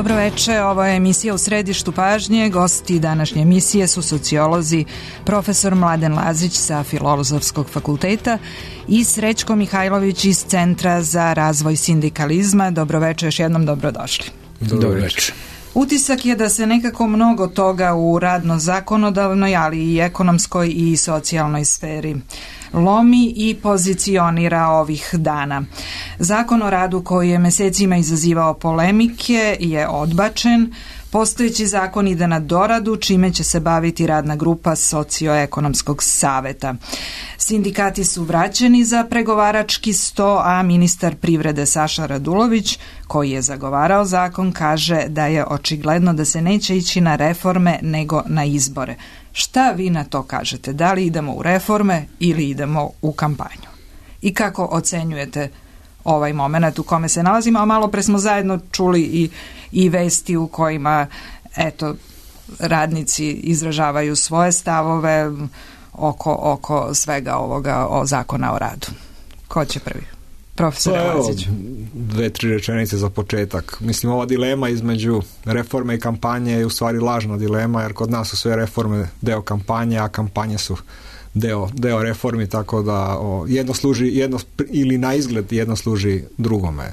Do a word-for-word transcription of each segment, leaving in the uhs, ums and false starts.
Dobro veče, ovo je emisija U središtu pažnje. Gosti današnje emisije su sociolozi profesor Mladen Lazić sa Filozofskog fakulteta i Srećko Mihajlović iz Centra za razvoj sindikalizma. Dobro veče, još jednom dobrodošli. Dobro veče. Utisak je da se nekako mnogo toga u radno-zakonodavnoj, ali i ekonomskoj i socijalnoj sferi lomi i pozicionira ovih dana. Zakon o radu koji je mesecima izazivao polemike je odbačen. Postojeći zakon ide na doradu, čime će se baviti radna grupa Socioekonomskog saveta. Sindikati su vraćeni za pregovarački sto, a ministar privrede Saša Radulović, koji je zagovarao zakon, kaže da je očigledno da se neće ići na reforme nego na izbore. Šta vi na to kažete? Da li idemo u reforme ili idemo u kampanju? I kako ocenjujete ovaj moment u kome se nalazimo? A malo pre smo zajedno čuli i, i vesti u kojima eto, radnici izražavaju svoje stavove oko, oko svega ovoga o zakona o radu. Ko će prvi? Profesor pa Lazić. Dve, tri rečenice za početak. Mislim, ova dilema između reforme i kampanje je u stvari lažna dilema, jer kod nas su sve reforme deo kampanje, a kampanje su deo, deo reformi, tako da o, jedno služi, jedno, ili na izgled jedno služi drugome.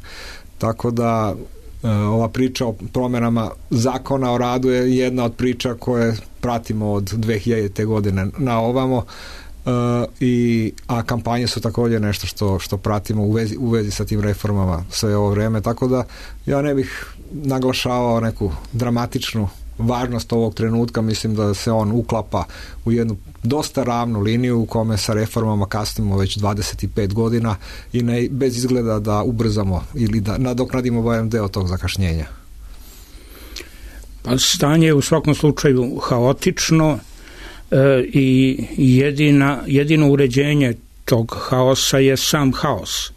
Tako da e, ova priča o promjenama zakona o radu je jedna od priča koje pratimo od dve hiljadite godine na ovamo. Uh, i, a kampanje su također nešto što, što pratimo u vezi, u vezi sa tim reformama sve ovo vrijeme, tako da ja ne bih naglašavao neku dramatičnu važnost ovog trenutka. Mislim da se on uklapa u jednu dosta ravnu liniju u kome sa reformama kasnimo već dvadeset pet godina i ne, bez izgleda da ubrzamo ili da nadoknadimo barem deo tog zakašnjenja. Pa stanje je u svakom slučaju haotično i jedina, jedino uređenje tog haosa je sam haos.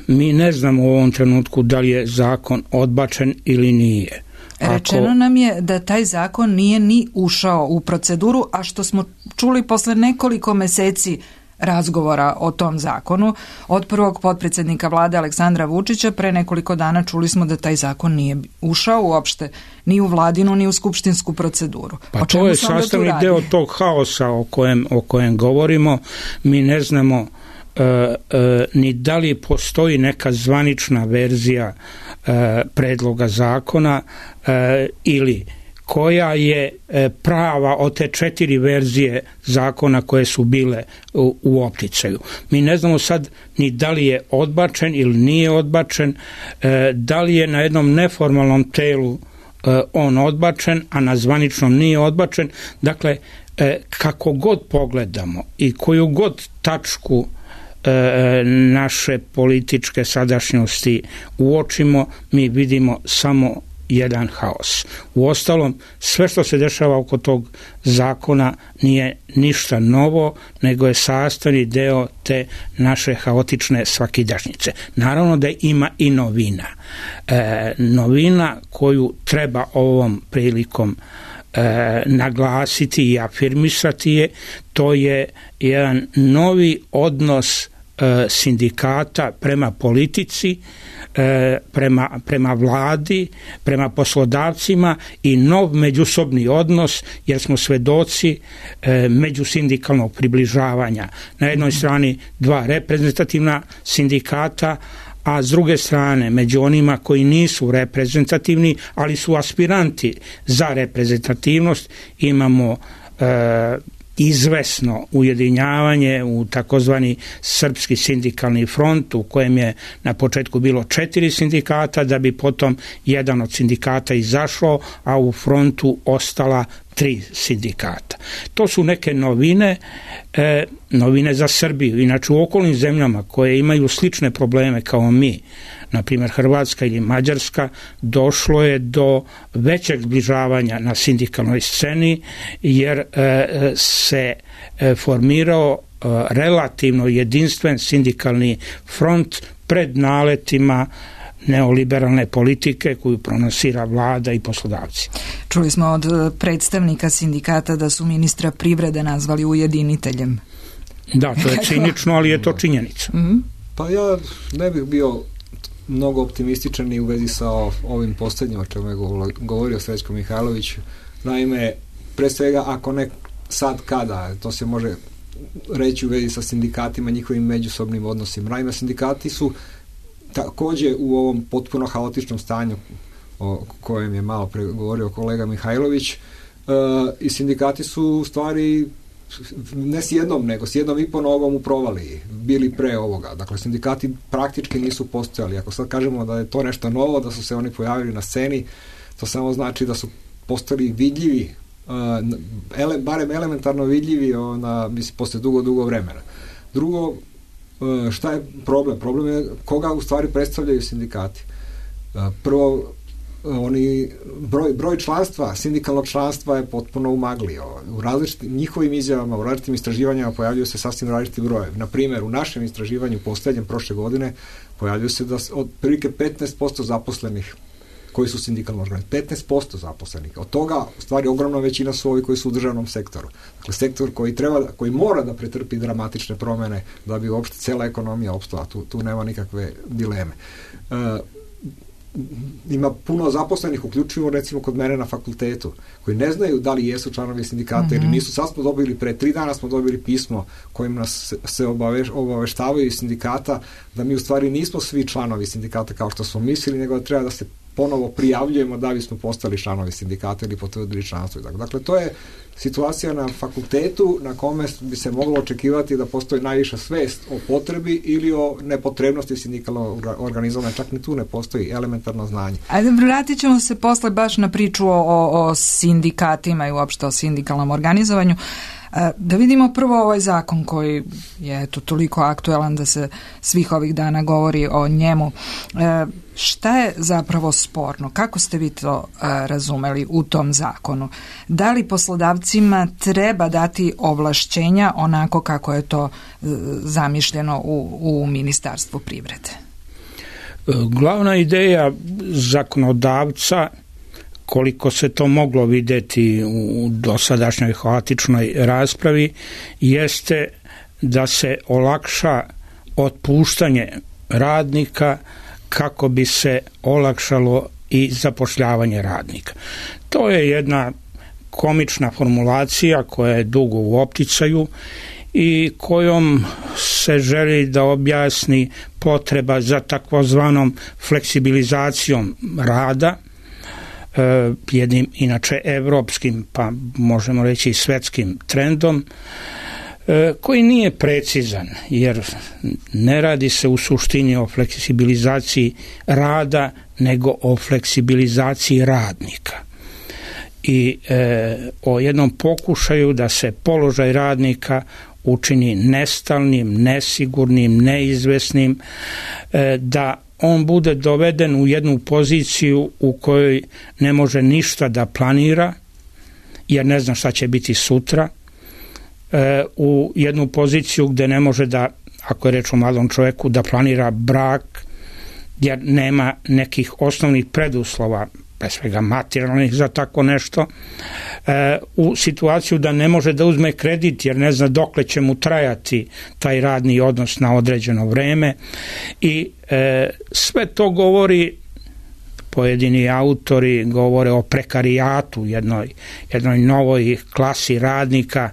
Mi ne znamo u ovom trenutku da li je zakon odbačen ili nije. Rečeno Ako... nam je da taj zakon nije ni ušao u proceduru, a što smo čuli posle nekoliko meseci razgovora o tom zakonu od prvog potpredsjednika vlade Aleksandra Vučića, pre nekoliko dana čuli smo da taj zakon nije ušao uopšte ni u vladinu ni u skupštinsku proceduru. Pa to je sastavni deo tog haosa o kojem, o kojem govorimo. Mi ne znamo uh, uh, ni da li postoji neka zvanična verzija uh, predloga zakona uh, ili koja je prava od te četiri verzije zakona koje su bile u, u opticaju. Mi ne znamo sad ni da li je odbačen ili nije odbačen, da li je na jednom neformalnom telu on odbačen, a na zvaničnom nije odbačen. Dakle, kako god pogledamo i koju god tačku naše političke sadašnjosti uočimo, mi vidimo samo jedan haos. Uostalom, sve što se dešava oko tog zakona nije ništa novo, nego je sastavni deo te naše haotične svakidašnjice. Naravno da ima i novina. E, novina koju treba ovom prilikom e, naglasiti i afirmisati je, to je jedan novi odnos e, sindikata prema politici, Prema, prema vladi, prema poslodavcima i nov međusobni odnos, jer smo svedoci e, međusindikalnog približavanja. Na jednoj strani dva reprezentativna sindikata, a s druge strane među onima koji nisu reprezentativni, ali su aspiranti za reprezentativnost, imamo e, izvesno ujedinjavanje u takozvani Srpski sindikalni front, u kojem je na početku bilo četiri sindikata, da bi potom jedan od sindikata izašao, a u frontu ostala tri sindikata. To su neke novine, e, novine za Srbiju. Inače, u okolnim zemljama koje imaju slične probleme kao mi, na primjer Hrvatska ili Mađarska, došlo je do većeg zbližavanja na sindikalnoj sceni, jer e, se e, formirao e, relativno jedinstven sindikalni front pred naletima neoliberalne politike koju pronosira vlada i poslodavci. Čuli smo od predstavnika sindikata da su ministra privrede nazvali ujediniteljem. Da, to je cinično, ali je to činjenica. Mm-hmm. Pa ja ne bih bio mnogo optimističan i u vezi sa ovim posljednjim o čemu je govorio Srećko Mihajlović. Naime, pre svega, ako ne sad kada, to se može reći u vezi sa sindikatima, njihovim međusobnim odnosima. Naime, sindikati su također u ovom potpuno haotičnom stanju o kojem je malo pre govorio kolega Mihajlović, e, i sindikati su u stvari ne s jednom, nego s jednom i po nogom u provaliji bili pre ovoga. Dakle, sindikati praktički nisu postojali. Ako sad kažemo da je to nešto novo, da su se oni pojavili na sceni, to samo znači da su postali vidljivi, uh, ele, barem elementarno vidljivi ona, mislim, posle dugo, dugo vremena. Drugo, uh, šta je problem? Problem je koga u stvari predstavljaju sindikati. Uh, prvo, oni, broj, broj članstva, sindikalnog članstva je potpuno umaglio. U različitim njihovim izjavama, u različitim istraživanjima pojavljuju se sasvim različiti brojevi. Na primjer, u našem istraživanju posljednjem prošle godine pojavljuju se da od prilike petnaest posto zaposlenih koji su sindikalno organizovani. petnaest posto zaposlenih. Od toga, u stvari, ogromna većina su ovi koji su u državnom sektoru. Dakle, sektor koji treba, koji mora da pretrpi dramatične promjene da bi uopšte cela ekonomija opstala. Tu, tu nema nikakve dileme. E, ima puno zaposlenih, uključivo recimo kod mene na fakultetu, koji ne znaju da li jesu članovi sindikata mm-hmm. ili nisu. Sad smo dobili, pre tri dana smo dobili pismo kojim nas se obaveš, obaveštavaju iz sindikata da mi u stvari nismo svi članovi sindikata kao što smo mislili, nego da treba da se ponovo prijavljujemo da bismo postali članovi sindikata ili potvrdili članstvo. Dakle, to je situacija na fakultetu na kome bi se moglo očekivati da postoji najviša svest o potrebi ili o nepotrebnosti sindikalnog organizovanja. Čak ni tu ne postoji elementarno znanje. Ajde, vratit ćemo se posle baš na priču o, o sindikatima i uopšte o sindikalnom organizovanju. Da vidimo prvo ovaj zakon koji je eto, toliko aktuelan da se svih ovih dana govori o njemu. E, šta je zapravo sporno? Kako ste vi to a, razumeli u tom zakonu? Da li poslodavcima treba dati ovlašćenja onako kako je to e, zamišljeno u, u Ministarstvu privrede? Glavna ideja zakonodavca, koliko se to moglo vidjeti u dosadašnjoj haotičnoj raspravi, jeste da se olakša otpuštanje radnika kako bi se olakšalo i zapošljavanje radnika. To je jedna komična formulacija koja je dugo u opticaju i kojom se želi da objasni potreba za takozvanom fleksibilizacijom rada, jednim inače evropskim, pa možemo reći i svetskim trendom, koji nije precizan, jer ne radi se u suštini o fleksibilizaciji rada, nego o fleksibilizaciji radnika. I e, o jednom pokušaju da se položaj radnika učini nestalnim, nesigurnim, neizvesnim, e, da on bude doveden u jednu poziciju u kojoj ne može ništa da planira, jer ne zna šta će biti sutra, e, u jednu poziciju gdje ne može da, ako je reč o mladom čovjeku, da planira brak, jer nema nekih osnovnih preduslova, pre svega materijalnih za tako nešto, e, u situaciju da ne može da uzme kredit jer ne zna dokle će mu trajati taj radni odnos na određeno vreme i e, sve to govori, pojedini autori govore o prekarijatu, jednoj, jednoj novoj klasi radnika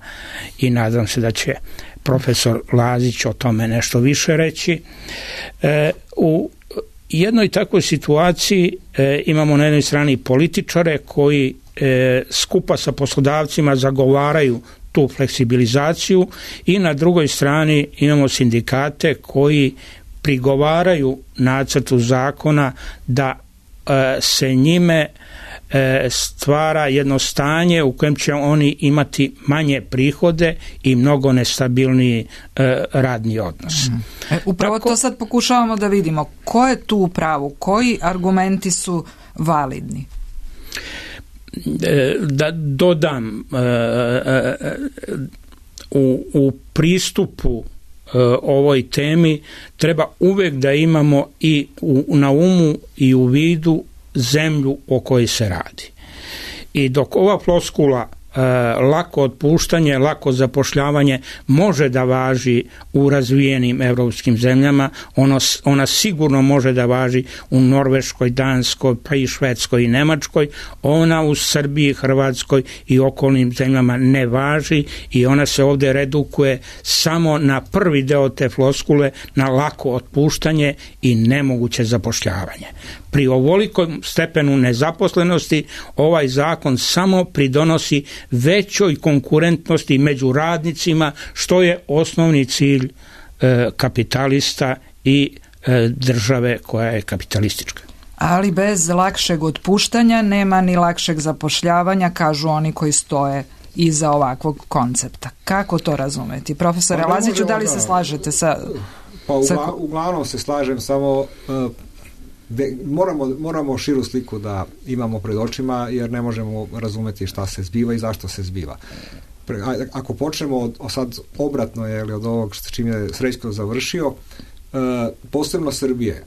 i nadam se da će profesor Lazić o tome nešto više reći. E, u jednoj takvoj situaciji e, imamo na jednoj strani političare koji e, skupa sa poslodavcima zagovaraju tu fleksibilizaciju i na drugoj strani imamo sindikate koji prigovaraju nacrtu zakona da e, se njime e, stvara jedno stanje u kojem će oni imati manje prihode i mnogo nestabilniji e, radni odnos. E, upravo Tako, to sad pokušavamo da vidimo. Ko je tu u pravu? Koji argumenti su validni? E, da dodam, e, e, u, u pristupu ovoj temi treba uvijek da imamo i u, na umu i u vidu zemlju o kojoj se radi. I dok ova floskula lako otpuštanje, lako zapošljavanje može da važi u razvijenim evropskim zemljama, ono, ona sigurno može da važi u Norveškoj, Danskoj, pa i Švedskoj i Nemačkoj, ona u Srbiji, Hrvatskoj i okolnim zemljama ne važi i ona se ovdje redukuje samo na prvi deo te floskule, na lako otpuštanje i nemoguće zapošljavanje. Pri ovolikom stepenu nezaposlenosti ovaj zakon samo pridonosi većoj konkurentnosti među radnicima, što je osnovni cilj e, kapitalista i e, države koja je kapitalistička. Ali bez lakšeg otpuštanja nema ni lakšeg zapošljavanja, kažu oni koji stoje iza ovakvog koncepta. Kako to razumeti? Profesore pa Laziću, da li se slažete sa... Pa ugla, sa... uglavnom se slažem, samo uh, de, moramo, moramo širu sliku da imamo pred očima, jer ne možemo razumeti šta se zbiva i zašto se zbiva. Pre, a, ako počnemo od, sad obratno je li od ovog s čim je Srećko završio, uh, posebno Srbije,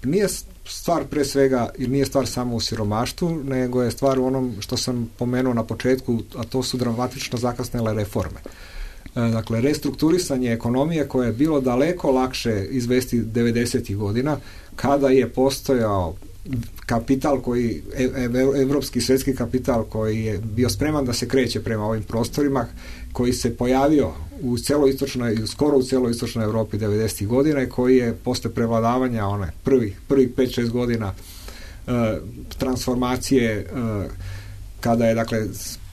nije stvar pre svega, ili nije stvar samo u siromaštvu, nego je stvar u onom što sam pomenuo na početku, a to su dramatično zakasnele reforme. Dakle, restrukturisanje ekonomije koje je bilo daleko lakše izvesti devedesetih godina, kada je postojao kapital koji, evropski svjetski kapital koji je bio spreman da se kreće prema ovim prostorima, koji se pojavio u celoistočnoj, skoro u celoistočnoj Europi devedesetih godina i koji je posle prevladavanja one prvih prvih pet šest godina uh, transformacije uh, kada je dakle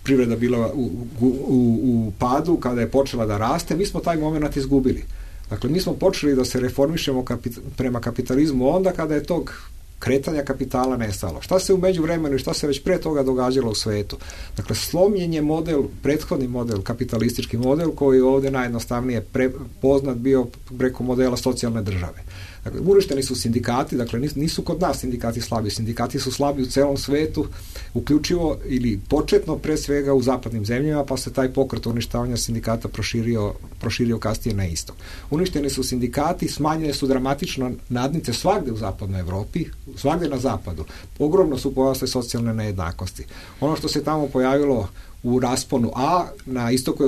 privreda bila u, u, u, u padu, kada je počela da raste, mi smo taj moment izgubili. Dakle, mi smo počeli da se reformišemo kapit- prema kapitalizmu onda kada je tog kretanja kapitala nestalo. Šta se u međuvremenu i šta se već pre toga događalo u svetu? Dakle, slomljen je model, prethodni model, kapitalistički model koji je ovdje najjednostavnije pre, poznat bio preko modela socijalne države. Dakle, uništeni su sindikati, dakle nisu kod nas sindikati slabi, sindikati su slabi u celom svetu, uključivo ili početno pre svega u zapadnim zemljama, pa se taj pokret uništavanja sindikata proširio, proširio kasnije na istok. Uništeni su sindikati, smanjene su dramatično nadnice svagde u zapadnoj Evropi, svagde na zapadu. Ogromno su porasle socijalne nejednakosti. Ono što se tamo pojavilo u rasponu A, na istoku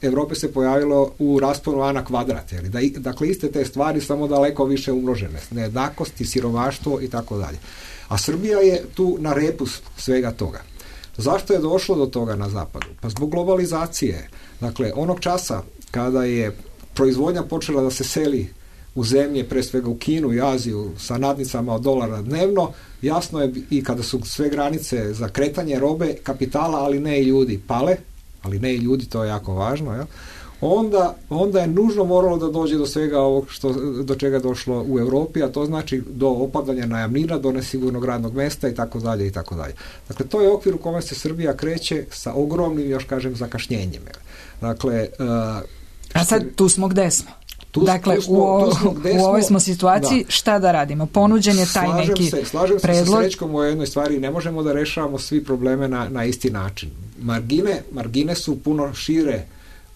Evrope se pojavilo u rasponu A na kvadrat. Da, dakle, iste te stvari, samo daleko više umnožene. Nejednakosti, siromaštvo i tako dalje. A Srbija je tu na repu svega toga. Zašto je došlo do toga na zapadu? Pa zbog globalizacije. Dakle, onog časa kada je proizvodnja počela da se seli u zemlje, pre svega u Kinu i Aziju, sa nadnicama od dolara dnevno, jasno je i kada su sve granice za kretanje robe, kapitala, ali ne i ljudi, pale, ali ne i ljudi, to je jako važno, jel? Onda, onda je nužno moralo da dođe do svega ovog što, do čega je došlo u Europi, a to znači do opadanja najamnina, do nesigurnog radnog mesta i tako dalje i tako dalje. Dakle, to je okvir u kome se Srbija kreće sa ogromnim, još kažem, zakašnjenjem. Dakle, uh, a sad tu smo gde smo? Tu, dakle, tu smo, u, tu smo, u ovoj smo situaciji, da. Šta da radimo? Ponuđen je taj slažem neki se, slažem predlog. se sa Srećkom u jednoj stvari, ne možemo da rešavamo svi probleme na, na isti način. Margine, margine su puno šire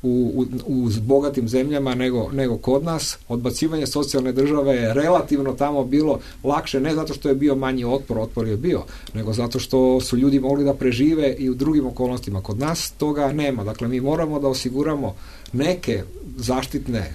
u, u, u bogatim zemljama nego, nego kod nas. Odbacivanje socijalne države je relativno tamo bilo lakše, ne zato što je bio manji otpor, otpor je bio, nego zato što su ljudi mogli da prežive i u drugim okolnostima. Kod nas toga nema. Dakle, mi moramo da osiguramo neke zaštitne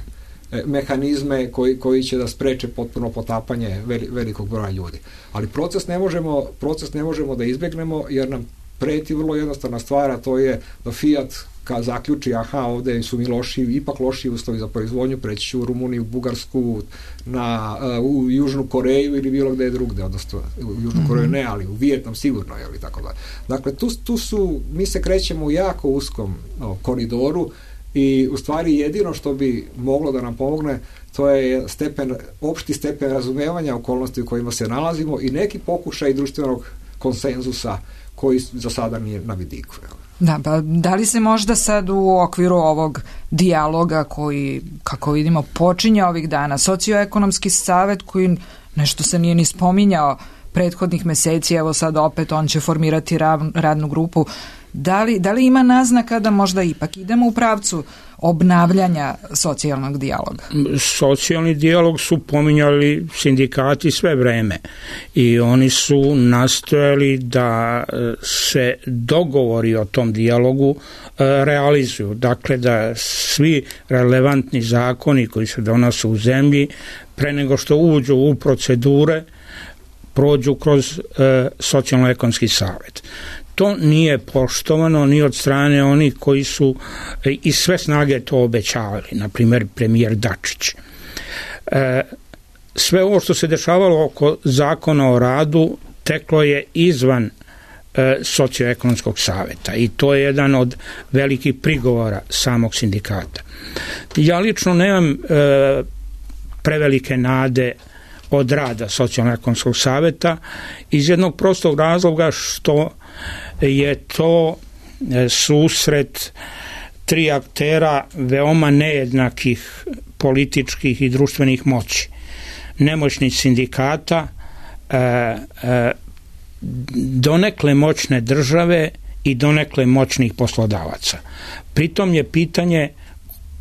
mehanizme koji, koji će da spreče potpuno potapanje velikog broja ljudi. Ali proces ne možemo, proces ne možemo da izbjegnemo jer nam preti vrlo jednostavna stvar, a to je da Fiat kad zaključi, aha, ovde su mi loši, ipak loši uslovi za proizvodnju, preći ću u Rumuniju, Bugarsku, na, u Južnu Koreju ili bilo gde drugde, odnosno u Južnu Koreju ne, ali u Vijetnam sigurno, jel, i tako dalje. Dakle, tu, tu su, mi se krećemo u jako uskom o, koridoru i u stvari jedino što bi moglo da nam pomogne to je stepen, opšti stepen razumevanja okolnosti u kojima se nalazimo i neki pokušaj društvenog konsenzusa koji za sada nije na vidiku. Da, pa da li se možda sad u okviru ovog dijaloga koji, kako vidimo, počinje ovih dana, socioekonomski savet koji nešto se nije ni spominjao prethodnih meseci, evo sad opet on će formirati radnu grupu, Da li, da li ima naznaka da možda ipak idemo u pravcu obnavljanja socijalnog dijaloga? Socijalni dijalog su pominjali sindikati sve vreme i oni su nastojali da se dogovori o tom dijalogu realizuju. Dakle, da svi relevantni zakoni koji se donose u zemlji pre nego što uđu u procedure prođu kroz e, socijalno-ekonomski savjet. To nije poštovano ni od strane onih koji su e, iz sve snage to obećavali, na primjer premijer Dačić. E, sve ovo što se dešavalo oko zakona o radu teklo je izvan e, socioekonomskog savjeta i to je jedan od velikih prigovora samog sindikata. Ja lično nemam e, prevelike nade od rada socijalno-ekonomskog savjeta iz jednog prostog razloga što je to susret tri aktera veoma nejednakih političkih i društvenih moći. Nemoćnih sindikata, donekle moćne države i donekle moćnih poslodavaca. Pritom je pitanje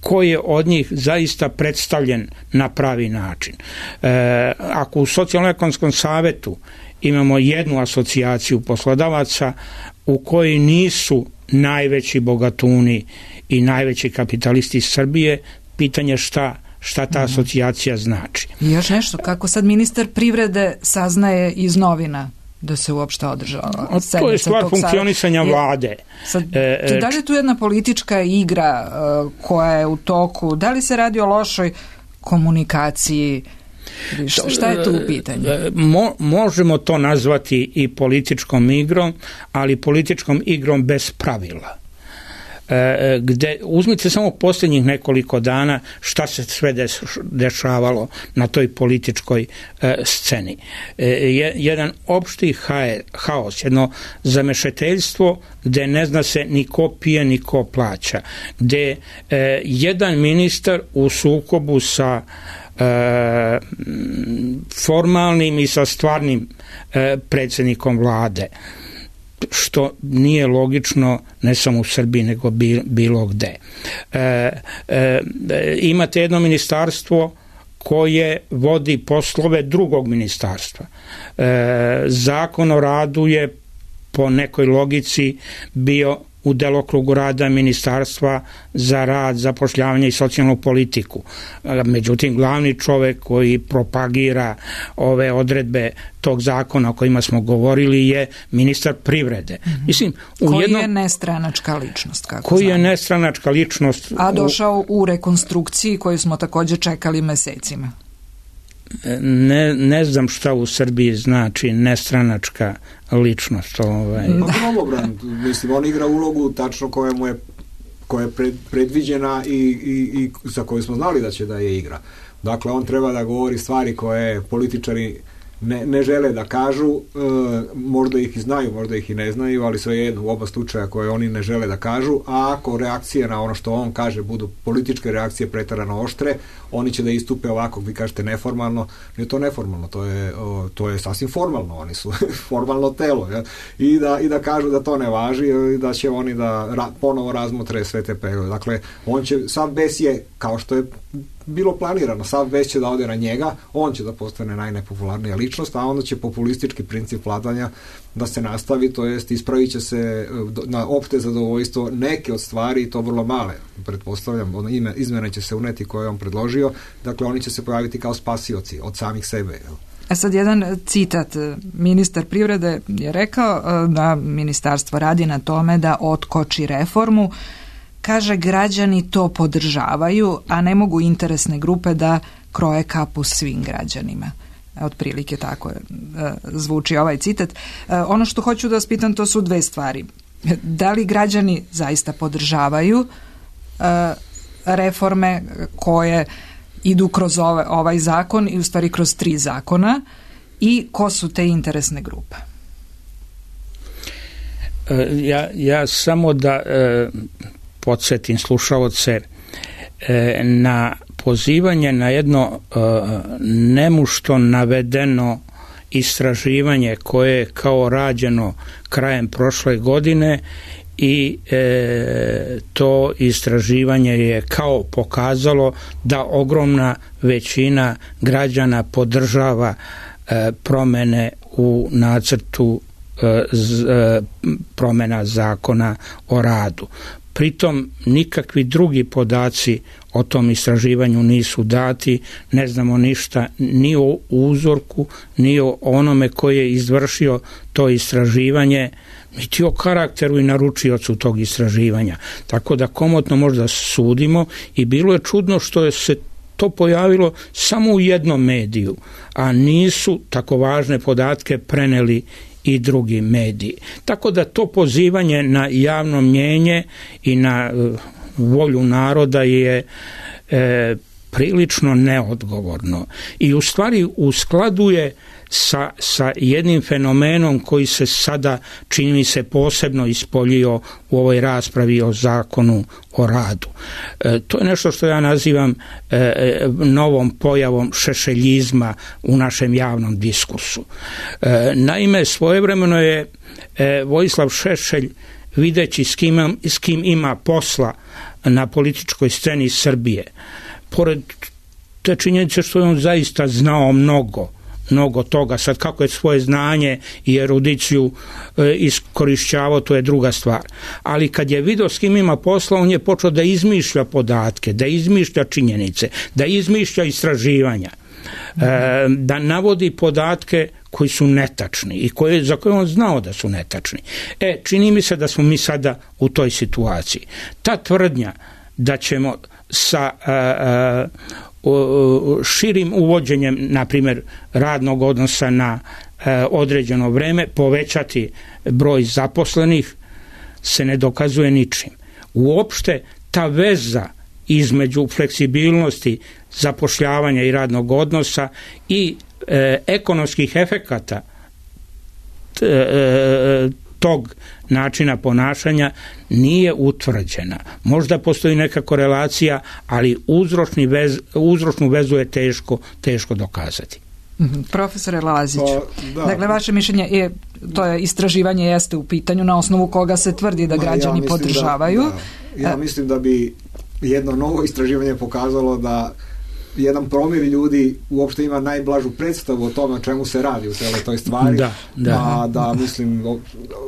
ko je od njih zaista predstavljen na pravi način. E, ako u socijalno-ekonomskom savjetu imamo jednu asocijaciju poslodavaca u kojoj nisu najveći bogatuni i najveći kapitalisti iz Srbije, pitanje šta šta ta asocijacija znači. I još nešto, kako sad ministar privrede saznaje iz novina da se uopšte održava. To je stvar funkcionisanja vlade. Sad, da li je tu jedna politička igra uh, koja je u toku? Da li se radi o lošoj komunikaciji? Šta, šta je tu u pitanju? Mo, možemo to nazvati i političkom igrom, ali političkom igrom bez pravila. Gde, uzmite samo posljednjih nekoliko dana šta se sve dešavalo na toj političkoj e, sceni. E, jedan opšti haos, jedno zamešeteljstvo gde ne zna se ni ko pije ni ko plaća, gde e, jedan ministar u sukobu sa e, formalnim i sa stvarnim e, predsjednikom vlade, što nije logično ne samo u Srbiji nego bilo gde. E, e, imate jedno ministarstvo koje vodi poslove drugog ministarstva. E, zakon o radu je po nekoj logici bio u delokrugu rada Ministarstva za rad, zapošljavanje i socijalnu politiku. Međutim, glavni čovjek koji propagira ove odredbe tog zakona o kojima smo govorili je ministar privrede. Mm-hmm. Mislim, u koji jednom, je nestranačka ličnost. Kako koji znam. je nestranačka ličnost. A došao u rekonstrukciji koju smo također čekali mesecima. Ne, ne znam šta u Srbiji znači nestranačka ličnost. Ovaj. Da. Mislim, on igra ulogu tačno koja mu je, koja je pred, predviđena i, i, i za koju smo znali da će da je igra. Dakle, on treba da govori stvari koje političari ne, ne žele da kažu, e, možda ih i znaju, možda ih i ne znaju, ali svejedno u oba slučaja koje oni ne žele da kažu, a ako reakcije na ono što on kaže budu političke reakcije preterano oštre, oni će da istupe ovako, vi kažete neformalno, nije to neformalno, to je, o, to je sasvim formalno, oni su formalno telo, ja? I, da, i da kažu da to ne važi i da će oni da ra, ponovo razmotre sve te preglede. Dakle, on će, sav bes je, kao što je bilo planirano, sav bes će da ode na njega, on će da postane najnepopularnija ličnost, a onda će populistički princip vladanja da se nastavi, to jest ispravit će se na opšte zadovoljstvo neke od stvari, i to vrlo male, pretpostavljam, izmene će se uneti koje je on predložio, dakle oni će se pojaviti kao spasioci od samih sebe. A sad jedan citat, ministar privrede je rekao da ministarstvo radi na tome da otkoči reformu, kaže građani to podržavaju, a ne mogu interesne grupe da kroje kapu svim građanima. Otprilike tako zvuči ovaj citat. Ono što hoću da vas pitam, to su dve stvari. Da li građani zaista podržavaju reforme koje idu kroz ovaj, ovaj zakon i u stvari kroz tri zakona, i ko su te interesne grupe? Ja, ja samo da e, podsjetim slušaoce e, na pozivanje na jedno e, nemušto navedeno istraživanje koje je kao rađeno krajem prošle godine i e, to istraživanje je kao pokazalo da ogromna većina građana podržava e, promene u nacrtu e, z, e, promena zakona o radu. Pritom nikakvi drugi podaci o tom istraživanju nisu dati, ne znamo ništa ni o uzorku, ni o onome koji je izvršio to istraživanje, niti o karakteru i naručiocu tog istraživanja. Tako da komotno možda sudimo i bilo je čudno što je se to pojavilo samo u jednom mediju, a nisu tako važne podatke preneli i drugi mediji. Tako da to pozivanje na javno mnjenje i na uh, volju naroda je e, prilično neodgovorno i u stvari u skladu je sa, sa jednim fenomenom koji se sada čini mi se posebno ispoljio u ovoj raspravi o zakonu o radu. E, to je nešto što ja nazivam e, novom pojavom šešeljizma u našem javnom diskursu. E, naime, svojevremeno je e, Vojislav Šešelj, videći s kim, s kim ima posla na političkoj sceni Srbije, pored te činjenice što je on zaista znao mnogo, mnogo toga, sad kako je svoje znanje i erudiciju e, iskorišćavao, to je druga stvar. Ali kad je vidio s kim ima posla, on je počeo da izmišlja podatke, da izmišlja činjenice, da izmišlja istraživanja, e, da navodi podatke koji su netačni i koje, za koje on znao da su netačni. E, čini mi se da smo mi sada u toj situaciji. Ta tvrdnja da ćemo sa a, a, širim uvođenjem, na primjer, radnog odnosa na a, određeno vreme povećati broj zaposlenih se ne dokazuje ničim. Uopšte ta veza između fleksibilnosti zapošljavanja i radnog odnosa i e, ekonomskih efekata t, e, tog načina ponašanja nije utvrđena. Možda postoji neka korelacija, ali uzročni vez, uzročnu vezu je teško, teško dokazati. Mm-hmm. Profesore Lazić, pa, da. Dakle, vaše mišljenje je, to je istraživanje jeste u pitanju na osnovu koga se tvrdi da građani ja podržavaju. Da, da. Ja mislim da bi jedno novo istraživanje pokazalo da jedan promjer ljudi uopšte ima najblažu predstavu o tome o čemu se radi u celoj toj stvari. Da, da. A da, mislim,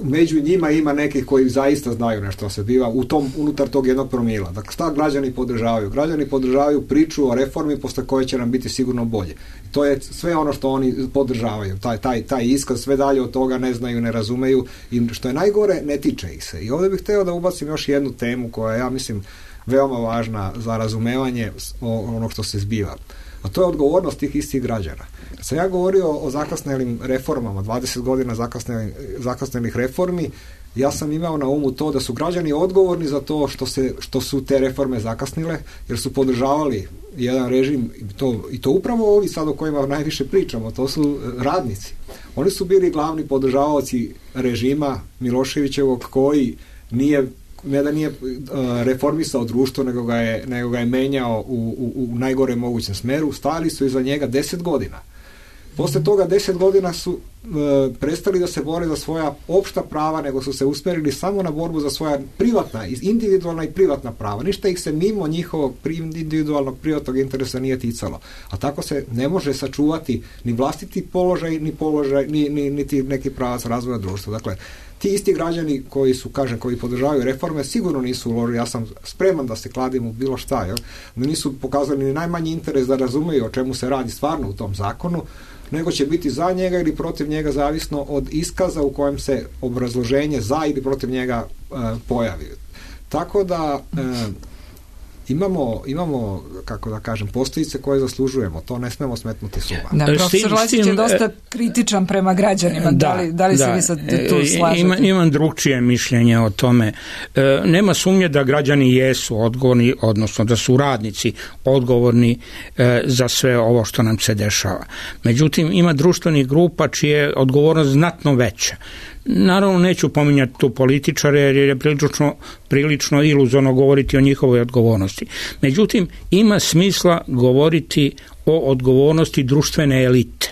među njima ima nekih koji zaista znaju nešto se biva u tom, unutar tog jednog promila. Dakle, šta građani podržavaju? Građani podržavaju priču o reformi posle koje će nam biti sigurno bolje. To je sve ono što oni podržavaju. Taj, taj, taj iskaz, sve dalje od toga ne znaju, ne razumeju i što je najgore, ne tiče ih se. I ovdje bih hteo da ubacim još jednu temu koja, ja mislim, veoma važna za razumevanje onog što se zbiva. A to je odgovornost tih istih građana. Kad sam ja govorio o zakasnelim reformama, dvadeset godina zakasnelih, zakasnelih reformi, ja sam imao na umu to da su građani odgovorni za to što, se, što su te reforme zakasnile, jer su podržavali jedan režim, i to, i to upravo ovi sad o kojima najviše pričamo, to su radnici. Oni su bili glavni podržavaoci režima Miloševićevog koji nije ne da nije uh, reformisao društvo, nego ga je, nego ga je menjao u, u, u najgore mogućem smeru, stali su iza njega deset godina. Posle toga deset godina su uh, prestali da se bore za svoja opšta prava, nego su se usmerili samo na borbu za svoja privatna, individualna i privatna prava. Ništa ih se mimo njihovog individualnog privatnog interesa nije ticalo. A tako se ne može sačuvati ni vlastiti položaj, ni položaj, ni, ni, niti neki pravac razvoja društva. Dakle, ti isti građani koji su, kažem, koji podržavaju reforme, sigurno nisu uložili, ja sam spreman da se kladim u bilo šta, jel? Da nisu pokazali ni najmanji interes da razumeju o čemu se radi stvarno u tom zakonu, nego će biti za njega ili protiv njega zavisno od iskaza u kojem se obrazloženje za ili protiv njega e, pojavi. Tako da e, imamo, imamo, kako da kažem, postojice koje zaslužujemo, to ne smemo smetnuti suma. Da, profesor Lazić je dosta kritičan prema građanima, da, da li, da li da, se vi sad tu slažete? Ima, imam drugčije mišljenje o tome. E, nema sumnje da građani jesu odgovorni, odnosno da su radnici odgovorni e, za sve ovo što nam se dešava. Međutim, ima društvenih grupa čija je odgovornost znatno veća. Naravno, neću pominjati tu političare jer je prilično, prilično iluzorno govoriti o njihovoj odgovornosti. Međutim, ima smisla govoriti o odgovornosti društvene elite.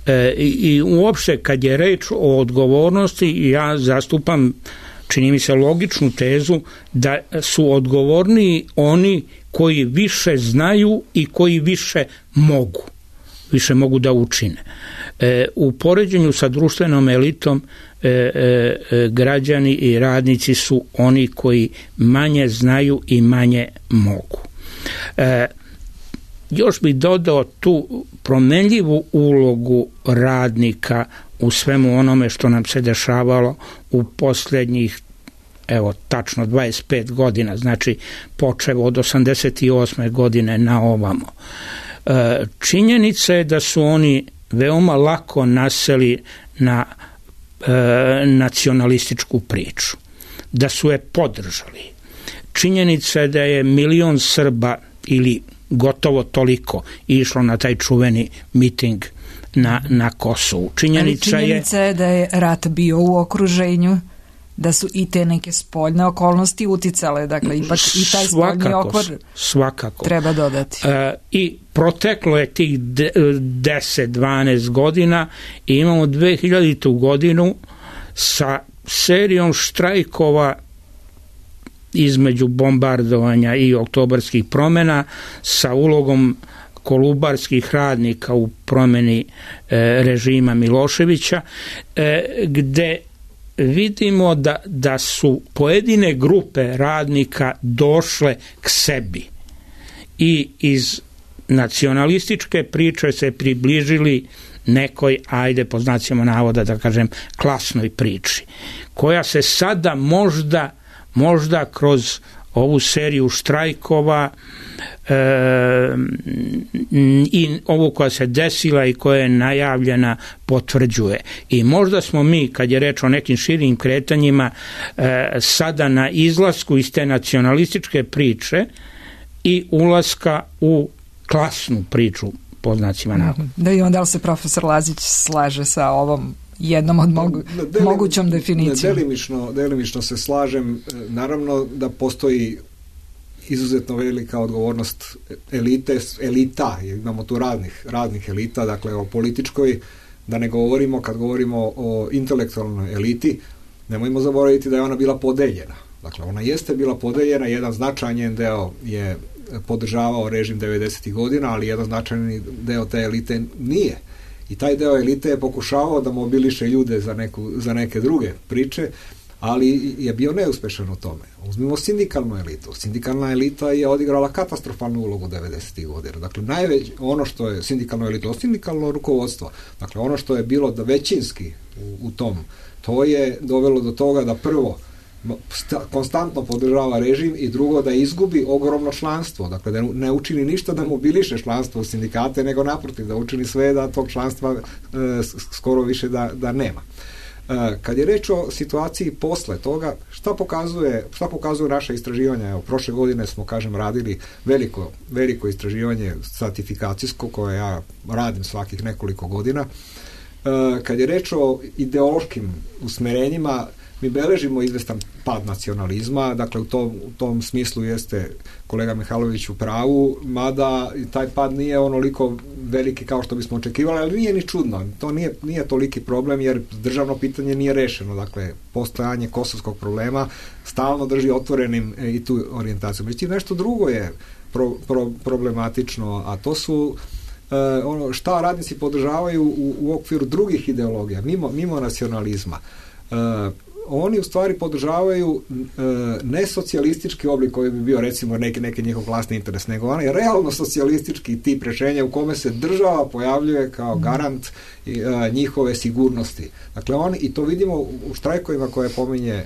E, i, i uopšte kad je reč o odgovornosti, ja zastupam čini mi se logičnu tezu da su odgovorniji oni koji više znaju i koji više mogu, više mogu da učine. E, u poređenju sa društvenom elitom e, e, građani i radnici su oni koji manje znaju i manje mogu. E, još bih dodao tu promenljivu ulogu radnika u svemu onome što nam se dešavalo u posljednjih, evo, tačno dvadeset pet godina, znači počev od osamdeset osme godine na ovamo. E, činjenica je da su oni veoma lako naseli na e, nacionalističku priču, da su je podržali. Činjenica je da je milion Srba ili gotovo toliko išlo na taj čuveni miting na, na Kosovu. Činjenica, Ali činjenica je, je da je rat bio u okruženju, da su i te neke spoljne okolnosti uticale, dakle ipak i taj spoljni okvir svakako treba dodati. E, I proteklo je tih deset dvanaest godina i imamo dve hiljadite godinu sa serijom štrajkova između bombardovanja i oktobarskih promjena, sa ulogom kolubarskih radnika u promjeni e, režima Miloševića, e, gde vidimo da, da su pojedine grupe radnika došle k sebi i iz nacionalističke priče se približili nekoj, ajde po znacima navoda da kažem, klasnoj priči, koja se sada možda možda kroz ovu seriju štrajkova e, i ovu koja se desila i koja je najavljena potvrđuje. I možda smo mi, kad je reč o nekim širim kretanjima, e, sada na izlasku iz te nacionalističke priče i ulaska u klasnu priču, po znacima navoda. Da, i onda li se profesor Lazić slaže sa ovom jednom od mogu, Delim, mogućom definicijom? Delimično, delimično se slažem. Naravno da postoji izuzetno velika odgovornost elite, elita, imamo tu radnih, radnih elita, dakle o političkoj, da ne govorimo, kad govorimo o intelektualnoj eliti, nemojmo zaboraviti da je ona bila podeljena. Dakle, ona jeste bila podeljena, jedan značajan deo je podržavao režim devedesetih godina, ali jedan značajni deo te elite nije. I taj deo elite je pokušavao da mobiliše ljude za, neku, za neke druge priče, ali je bio neuspešan u tome. Uzmimo sindikalnu elitu. Sindikalna elita je odigrala katastrofalnu ulogu devedesetih godina. Dakle, najveć, ono što je sindikalno elito, sindikalno rukovodstvo, dakle, ono što je bilo da većinski u, u tom, to je dovelo do toga da prvo sta, konstantno podržava režim i drugo da izgubi ogromno članstvo. Dakle, da ne učini ništa da mobiliše članstvo u sindikate, nego naprotiv, da učini sve da tog članstva e, skoro više da, da nema. E, kad je reč o situaciji posle toga, šta pokazuje, šta pokazuje naše istraživanja? Evo, prošle godine smo, kažem, radili veliko, veliko istraživanje stratifikacijsko, koje ja radim svakih nekoliko godina. E, kad je reč o ideološkim usmerenjima, mi beležimo izvestan pad nacionalizma, dakle u tom, u tom smislu jeste kolega Mihajlović u pravu, mada taj pad nije onoliko veliki kao što bismo očekivali, ali nije ni čudno, to nije, nije toliki problem jer državno pitanje nije rešeno, dakle postojanje kosovskog problema stalno drži otvorenim e, i tu orijentaciju. Međutim, nešto drugo je pro, pro, problematično, a to su e, ono šta radnici podržavaju u, u okviru drugih ideologija, mimo, mimo nacionalizma. E, oni u stvari podržavaju e, ne socijalistički oblik koji bi bio recimo neki, neki njihov vlastni interes, nego onaj realno socijalistički tip rešenja u kome se država pojavljuje kao garant e, njihove sigurnosti. Dakle, oni, i to vidimo u štrajkovima koje pominje e,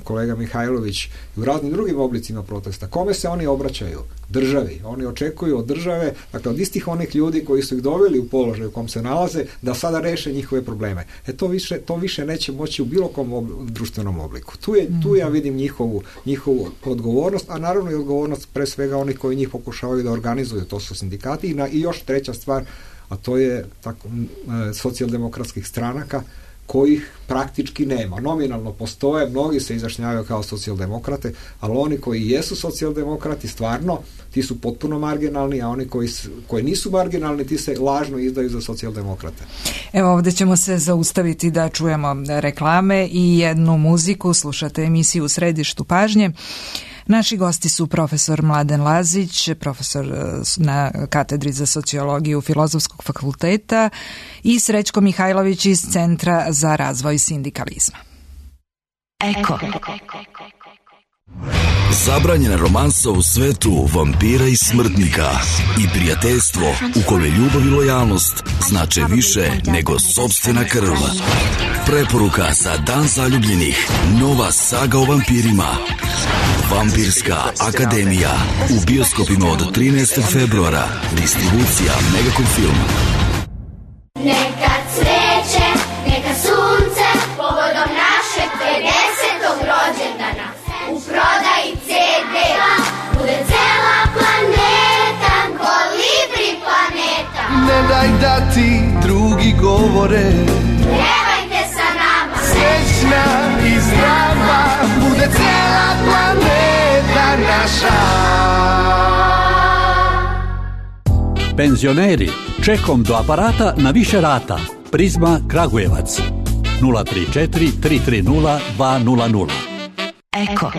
kolega Mihajlović i u raznim drugim oblicima protesta. Kome se oni obraćaju? Državi. Oni očekuju od države, dakle od istih onih ljudi koji su ih doveli u položaj u kom se nalaze, da sada reše njihove probleme. E to više, to više neće moći u bilo kom ob, društvenom obliku. Tu, je, tu ja vidim njihovu, njihovu odgovornost, a naravno i odgovornost pre svega onih koji njih pokušavaju da organizuju, to su sindikati. I, na, i još treća stvar, a to je tako, socijaldemokratskih stranaka kojih praktički nema. Nominalno postoje, mnogi se izjašnjavaju kao socijaldemokrate, ali oni koji jesu socijaldemokrati stvarno, ti su potpuno marginalni, a oni koji, koji nisu marginalni, ti se lažno izdaju za socijaldemokrate. Evo, ovdje ćemo se zaustaviti da čujemo reklame i jednu muziku. Slušate emisiju U središtu pažnje. Naši gosti su profesor Mladen Lazić, profesor na katedri za sociologiju Filozofskog fakulteta, i Srećko Mihajlović iz Centra za razvoj sindikalizma. Eko. Zabranjena romansa u svetu vampira i smrtnika i prijateljstvo u kome ljubav i lojalnost znače više nego sopstvena krv. Preporuka za Dan zaljubljenih. Nova saga o vampirima. Vampirska akademija. U bioskopima od trinaestog februara. Distribucija Megacom Film. Neka cveće, neka sunce, povodom našeg pedesetog rođendana. U prodaji ce de bude cela planeta, Kolibri planeta. Ne daj da ti drugi govore, Pjevajte sa nama, srećna i zdrava, bude cela planeta naša. Penzioneri, čekom do aparata na više rata. Prizma Kragujevac nula tri četiri tri tri nula dva nula nula. Eko.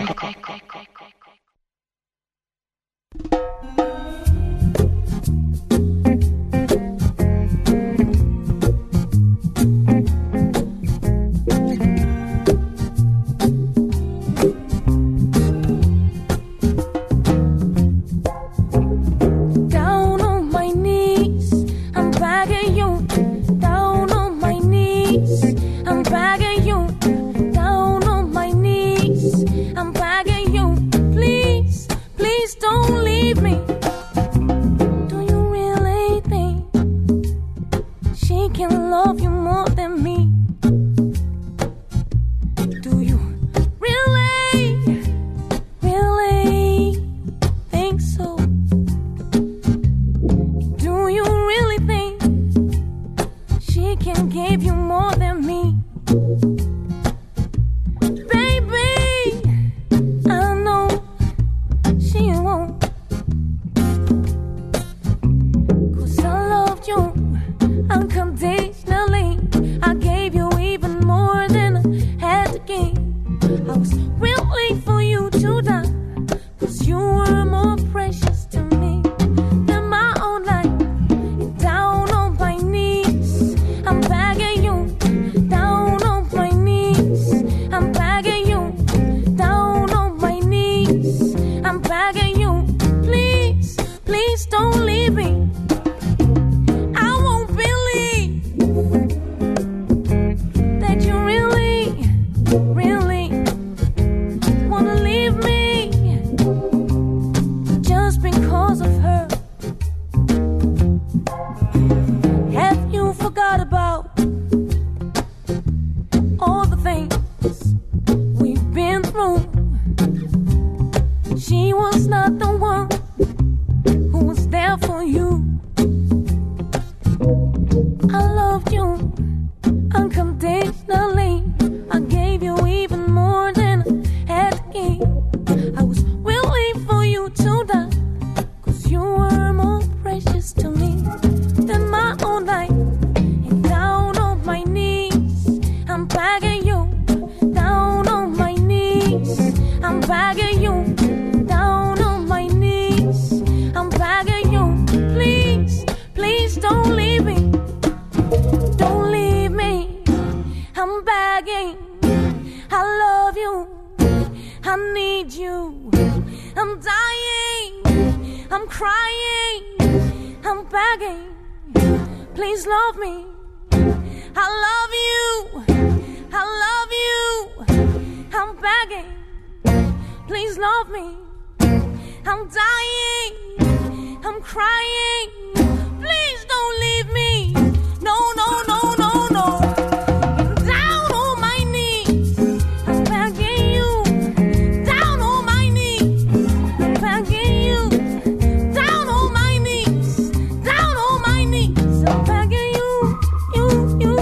you, you,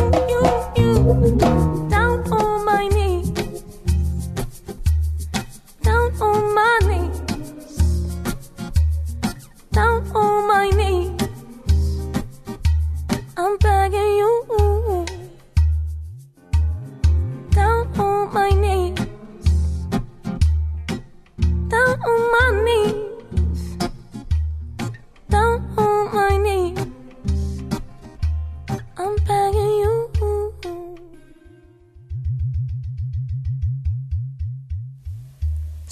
you, you.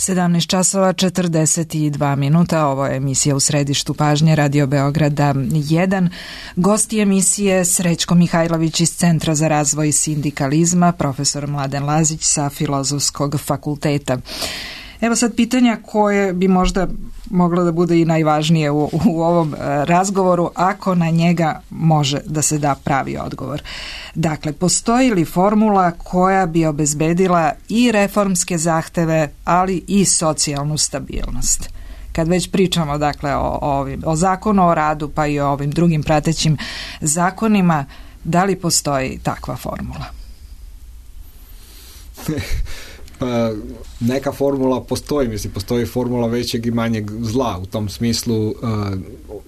sedamnaest časova četrdeset dva minuta, ovo je emisija U središtu pažnje Radio Beograda jedan. Gosti emisije Srećko Mihajlović iz Centra za razvoj sindikalizma, profesor Mladen Lazić sa Filozofskog fakulteta. Evo sad pitanja koje bi možda moglo da bude i najvažnije u, u ovom razgovoru, ako na njega može da se da pravi odgovor. Dakle, postoji li formula koja bi obezbedila i reformske zahteve, ali i socijalnu stabilnost? Kad već pričamo dakle, o, o, ovim, o zakonu o radu pa i o ovim drugim pratećim zakonima, da li postoji takva formula? Pa, neka formula postoji, mislim, postoji formula većeg i manjeg zla. U tom smislu uh,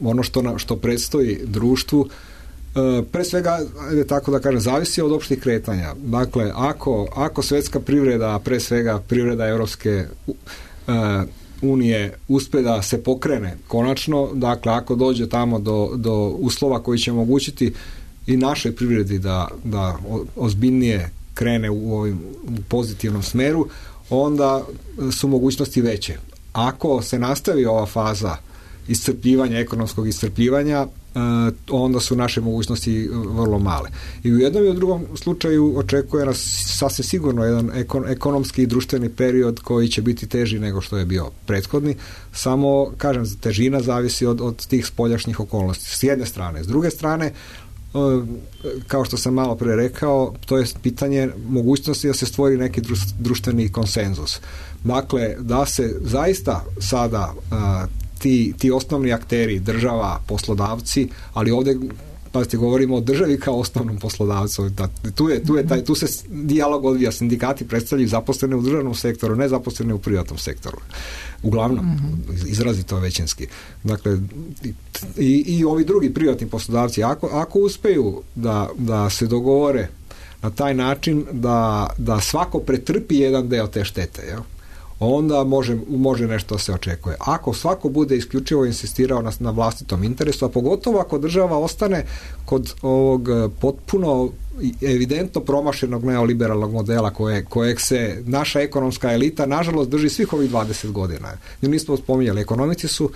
ono što, na, što predstoji društvu uh, pre svega, tako da kažem, zavisi od opštih kretanja. Dakle, ako, ako svetska privreda, pre svega privreda Evropske uh, unije uspe da se pokrene konačno, dakle, ako dođe tamo do, do uslova koji će omogućiti i našoj privredi da, da ozbiljnije krene u ovim pozitivnom smeru, onda su mogućnosti veće. Ako se nastavi ova faza iscrpljivanja, ekonomskog iscrpljivanja, onda su naše mogućnosti vrlo male. I u jednom i u drugom slučaju očekuje nas sasvim sigurno jedan ekonomski i društveni period koji će biti teži nego što je bio prethodni. Samo, kažem, težina zavisi od, od tih spoljašnjih okolnosti. S jedne strane. S druge strane, kao što sam malo pre rekao, to je pitanje mogućnosti da se stvori neki društveni konsenzus. Dakle, da se zaista sada a, ti, ti osnovni akteri, država, poslodavci, ali ovdje pazite, govorimo o državi kao osnovnom poslodavcu. Da, tu, je, tu, je taj, tu se dijalog odvija. Sindikati predstavljaju zaposlene u državnom sektoru, ne zaposlene u privatnom sektoru. Uglavnom, mm-hmm. izrazito većinski. Dakle, i, i ovi drugi privatni poslodavci, ako, ako uspeju da, da se dogovore na taj način da, da svako pretrpi jedan deo te štete, jel? Onda može, može nešto se očekuje. Ako svako bude isključivo insistirao na, na vlastitom interesu, a pogotovo ako država ostane kod ovog potpuno evidentno promašenog neoliberalnog modela koje, kojeg se naša ekonomska elita nažalost drži svih ovih dvadeset godina. Mi nismo spominjali, ekonomici su uh,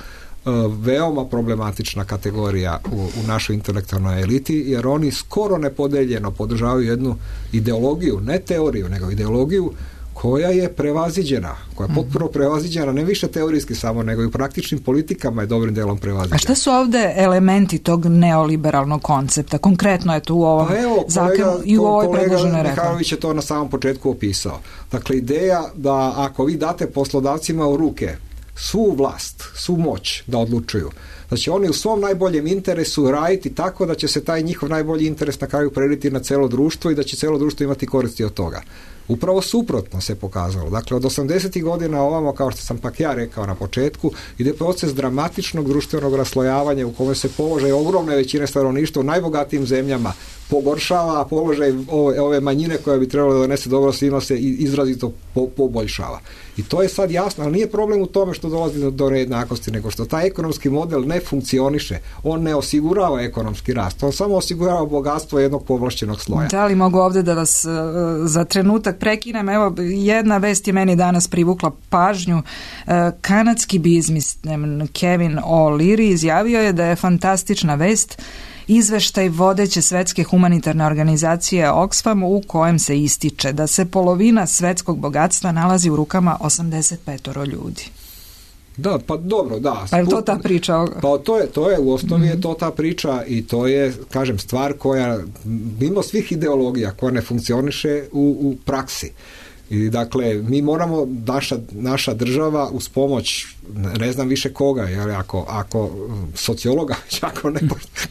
veoma problematična kategorija u, u našoj intelektualnoj eliti, jer oni skoro nepodeljeno podržavaju jednu ideologiju, ne teoriju, nego ideologiju koja je prevaziđena, koja je potpuno prevaziđena, ne više teorijski samo, nego i u praktičnim politikama je dobrim delom prevaziđena. A šta su ovde elementi tog neoliberalnog koncepta? Konkretno je tu u ovom pa evo, zakonu kolega, i u ovoj predloženoj reformi. reformi. Mihajlović je to na samom početku opisao. Dakle, ideja da ako vi date poslodavcima u ruke svu vlast, svu moć da odlučuju, da će oni u svom najboljem interesu raditi tako da će se taj njihov najbolji interes na kraju preliti na celo društvo i da će celo društvo imati koristi od toga. Upravo suprotno se pokazalo. Dakle, od osamdesetih godina ovamo, kao što sam pak ja rekao na početku, ide proces dramatičnog društvenog raslojavanja u kome se položaj ogromne većine stanovništva u najbogatijim zemljama pogoršava, a položaj ove, ove manjine koja bi trebalo da donese dobro svima se izrazito po, poboljšava. I to je sad jasno, ali nije problem u tome što dolazi do, do nejednakosti, nego što taj ekonomski model ne funkcioniše. On ne osigurava ekonomski rast, on samo osigurava bogatstvo jednog povlašćenog sloja. Da li mogu ovde da vas uh, za trenutak prekinem? Evo, jedna vest je meni danas privukla pažnju. Uh, kanadski biznismen Kevin O'Leary izjavio je da je fantastična vest izveštaj vodeće svetske humanitarne organizacije Oxfam u kojem se ističe da se polovina svetskog bogatstva nalazi u rukama osamdeset pet ljudi. Da, pa dobro, da. Pa je to ta priča? Pa to je, to je u osnovi mm-hmm. je to ta priča i to je, kažem, stvar koja mimo svih ideologija koja ne funkcioniše u, u praksi. I dakle, mi moramo, naša, naša država uz pomoć, ne znam više koga, jer ako, ako sociologa, ako ne,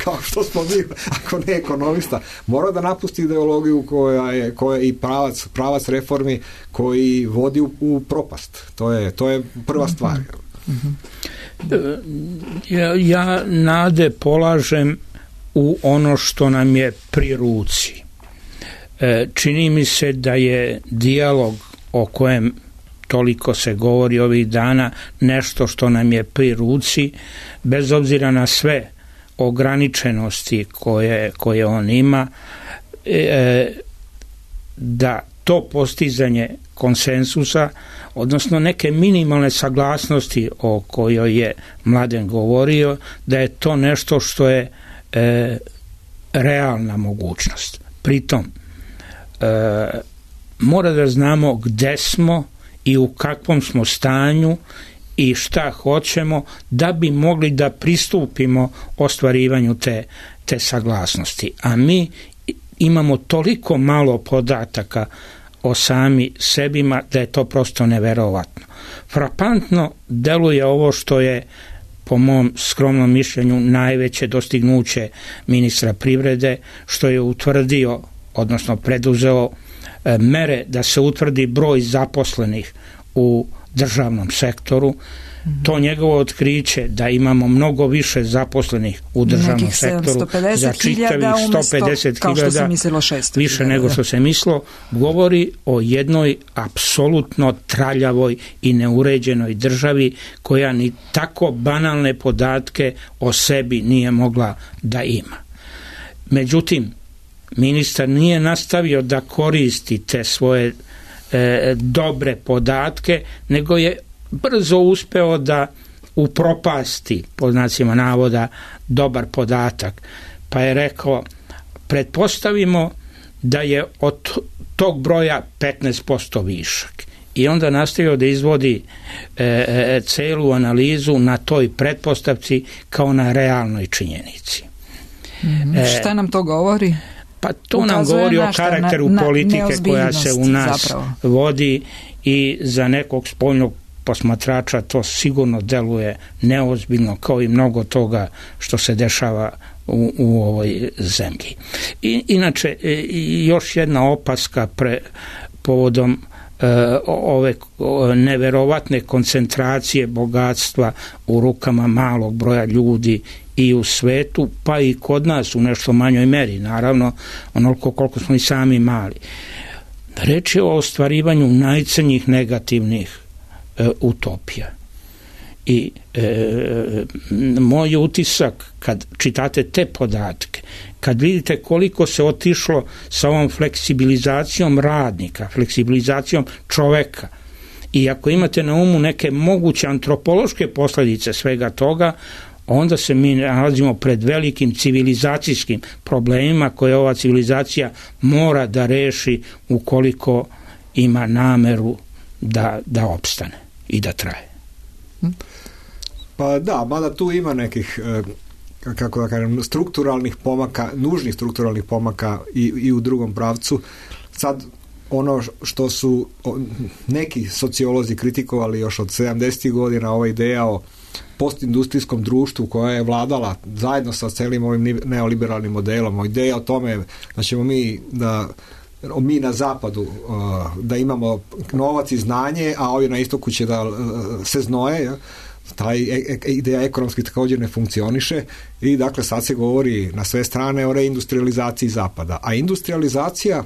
kao što smo mi, ako ne ekonomista, mora da napusti ideologiju koja je, koja je i pravac, pravac reformi koji vodi u, u propast. To je, to je prva stvar. Ja, ja nade polažem u ono što nam je pri ruci. Čini mi se da je dijalog o kojem toliko se govori ovih dana nešto što nam je pri ruci, bez obzira na sve ograničenosti koje, koje on ima, e, da to postizanje konsensusa, odnosno neke minimalne saglasnosti o kojoj je Mladen govorio, da je to nešto što je e, realna mogućnost. Pritom, e, mora da znamo gde smo i u kakvom smo stanju i šta hoćemo da bi mogli da pristupimo ostvarivanju te, te saglasnosti. A mi imamo toliko malo podataka o sami sebima da je to prosto neverovatno. Frapantno deluje ovo što je, po mom skromnom mišljenju, najveće dostignuće ministra privrede, što je utvrdio, odnosno preduzeo e, mere da se utvrdi broj zaposlenih u državnom sektoru. Mm-hmm. To njegovo otkriće da imamo mnogo više zaposlenih u državnom nekih sektoru za čitavih sto pedeset hiljada više nego što se mislilo, govori o jednoj apsolutno traljavoj i neuređenoj državi koja ni tako banalne podatke o sebi nije mogla da ima. Međutim, ministar nije nastavio da koristi te svoje e, dobre podatke, nego je brzo uspeo da upropasti, po znacima navoda, dobar podatak. Pa je rekao, pretpostavimo da je od tog broja petnaest posto višak. I onda nastavio da izvodi e, e, celu analizu na toj pretpostavci kao na realnoj činjenici. Mm, e, šta nam to govori? Pa to Ukazuje nam govori o karakteru na, politike koja se u nas zapravo vodi i za nekog spoljnog posmatrača to sigurno deluje neozbiljno, kao i mnogo toga što se dešava u, u ovoj zemlji. I, inače, još jedna opaska pre, povodom e, ove neverovatne koncentracije bogatstva u rukama malog broja ljudi i u svetu, pa i kod nas u nešto manjoj meri, naravno, onoliko koliko smo i sami mali. Reč je o ostvarivanju najcrnjih negativnih e, utopija. I e, moj utisak kad čitate te podatke, kad vidite koliko se otišlo sa ovom fleksibilizacijom radnika, fleksibilizacijom čoveka, i ako imate na umu neke moguće antropološke posljedice svega toga, onda se mi nalazimo pred velikim civilizacijskim problemima koje ova civilizacija mora da reši ukoliko ima nameru da, da opstane i da traje. Pa da, mada tu ima nekih, kako da kažem, strukturalnih pomaka, nužnih strukturalnih pomaka i, i u drugom pravcu. Sad, ono što su neki sociolozi kritikovali još od sedamdesetih godina, ova ideja o postindustrijskom društvu koja je vladala zajedno sa celim ovim neoliberalnim modelom, o ideja o tome da ćemo mi da mi na zapadu da imamo novac i znanje, a ovi na istoku će da se znoje, taj ideja ekonomski također ne funkcioniše i dakle sad se govori na sve strane o reindustrializaciji zapada, a industrializacija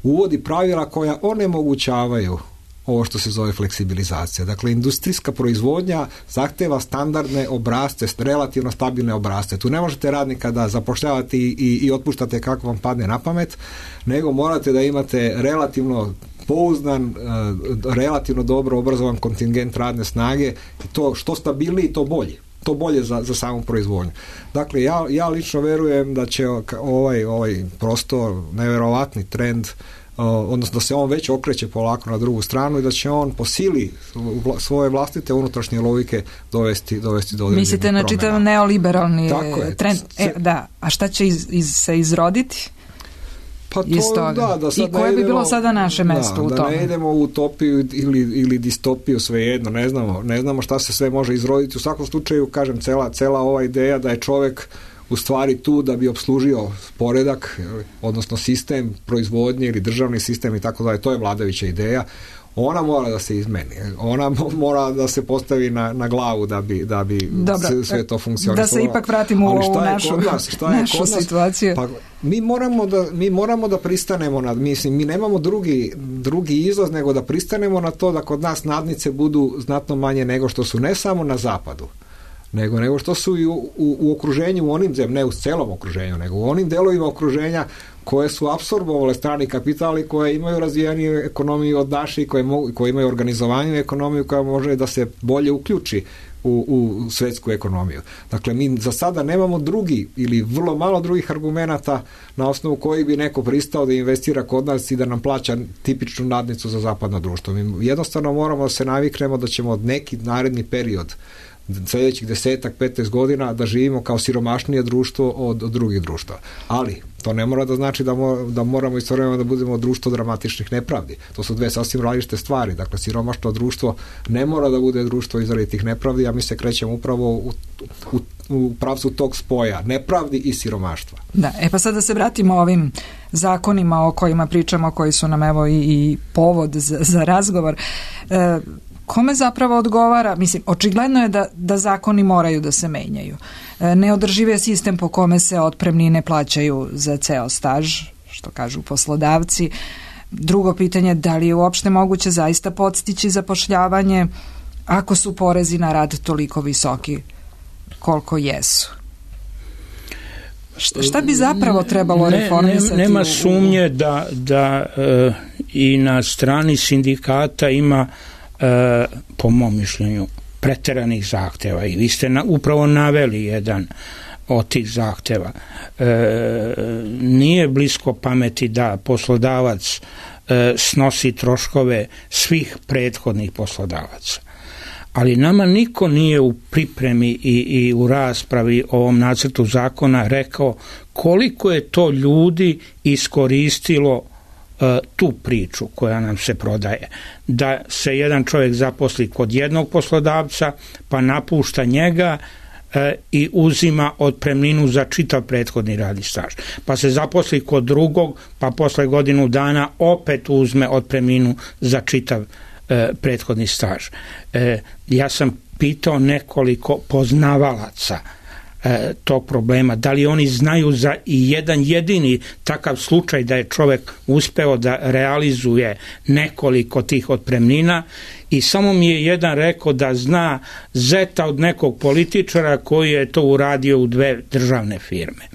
uvodi pravila koja onemogućavaju ovo što se zove fleksibilizacija. Dakle, industrijska proizvodnja zahteva standardne obrasce, relativno stabilne obrasce. Tu ne možete radnika da zapošljavate i, i, i otpuštate kako vam padne na pamet, nego morate da imate relativno pouzdan, relativno dobro obrazovan kontingent radne snage i to što stabilniji, to bolje. To bolje za, za samu proizvodnju. Dakle, ja, ja lično verujem da će ovaj, ovaj prosto neverovatni trend, odnosno da se on već okreće polako na drugu stranu i da će on po sili svoje vlastite unutrašnje logike dovesti, dovesti do određenih Mislite na čitav neoliberalni trend? E, da. A šta će iz, iz, se izroditi? Pa to, da, da sad i koje bi bilo sada naše mesto da, u da tome? Da ne idemo u utopiju ili, ili distopiju, svejedno, ne znamo, ne znamo šta se sve može izroditi. U svakom slučaju, kažem, cela, cela ova ideja da je čovek u stvari tu da bi opslužio poredak, odnosno sistem proizvodnje ili državni sistem i tako dalje, to je vladajuća ideja. Ona mora da se izmeni. Ona mora da se postavi na, na glavu da bi, da bi Dobro, sve to funkcionisalo. Da se ipak vratimo u ovu našu, nas, našu situaciju. Pa, mi, moramo da, mi moramo da pristanemo na, mislim, mi nemamo drugi, drugi izlaz nego da pristanemo na to da kod nas nadnice budu znatno manje nego što su ne samo na zapadu, nego, nego što su i u, u, u okruženju, u onim zemljama, ne u celom okruženju, nego u onim delovima okruženja koje su apsorbovale strani kapital i koje imaju razvijeniju ekonomiju od naše i koje, mogu, koje imaju organizovaniju ekonomiju koja može da se bolje uključi u, u svetsku ekonomiju. Dakle, mi za sada nemamo drugi ili vrlo malo drugih argumenata na osnovu kojih bi neko pristao da investira kod nas i da nam plaća tipičnu nadnicu za zapadno društvo. Mi jednostavno moramo da se naviknemo da ćemo od neki naredni period sljedećih desetak, petnaest godina da živimo kao siromašnije društvo od, od drugih društva. Ali to ne mora da znači da, mo, da moramo istovremeno da budemo društvo dramatičnih nepravdi. To su dve sasvim različite stvari. Dakle, siromašno društvo ne mora da bude društvo izrazitih nepravdi, a mi se krećemo upravo u, u, u pravcu tog spoja nepravdi i siromaštva. Da, e pa sad da se vratimo ovim zakonima o kojima pričamo, koji su nam evo i, i povod za, za razgovor. E, Kome zapravo odgovara? Mislim, očigledno je da, da zakoni moraju da se menjaju. Neodrživ je sistem po kome se otpremnine plaćaju za ceo staž, što kažu poslodavci. Drugo pitanje, da li je uopšte moguće zaista podstići zapošljavanje ako su porezi na rad toliko visoki koliko jesu? Šta, šta bi zapravo trebalo ne, reformisati? Ne, nema u, sumnje da, da e, i na strani sindikata ima E, po mom mišljenju preteranih zahteva i vi ste na, upravo naveli jedan od tih zahteva. E, nije blisko pameti da poslodavac e, snosi troškove svih prethodnih poslodavaca. Ali nama niko nije u pripremi i, i u raspravi o ovom nacrtu zakona rekao koliko je to ljudi iskoristilo tu priču koja nam se prodaje, da se jedan čovjek zaposli kod jednog poslodavca pa napušta njega e, i uzima otpremninu za čitav prethodni radni staž, pa se zaposli kod drugog pa posle godinu dana opet uzme otpremninu za čitav e, prethodni staž. E, ja sam pitao nekoliko poznavalaca tog problema, da li oni znaju za i jedan jedini takav slučaj da je čovjek uspeo da realizuje nekoliko tih otpremnina i samo mi je jedan rekao da zna zeta od nekog političara koji je to uradio u dve državne firme.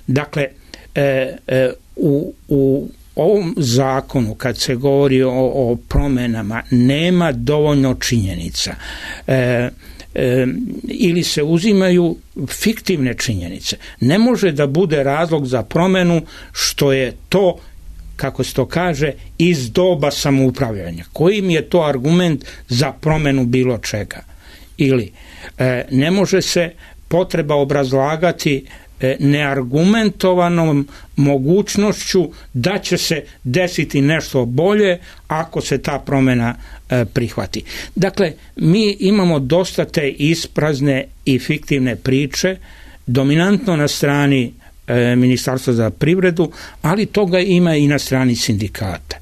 Dakle, e, e, u, u ovom zakonu kad se govori o, o promjenama nema dovoljno činjenica. E, E, ili se uzimaju fiktivne činjenice. Ne može da bude razlog za promjenu što je to, kako se to kaže, iz doba samoupravljanja. Kojim je to argument za promjenu bilo čega? Ili e, ne može se potreba obrazlagati e, neargumentovanom mogućnošću da će se desiti nešto bolje ako se ta promjena e, prihvati. Dakle, mi imamo dosta te isprazne i fiktivne priče, dominantno na strani e, Ministarstva za privredu, ali toga ima i na strani sindikata.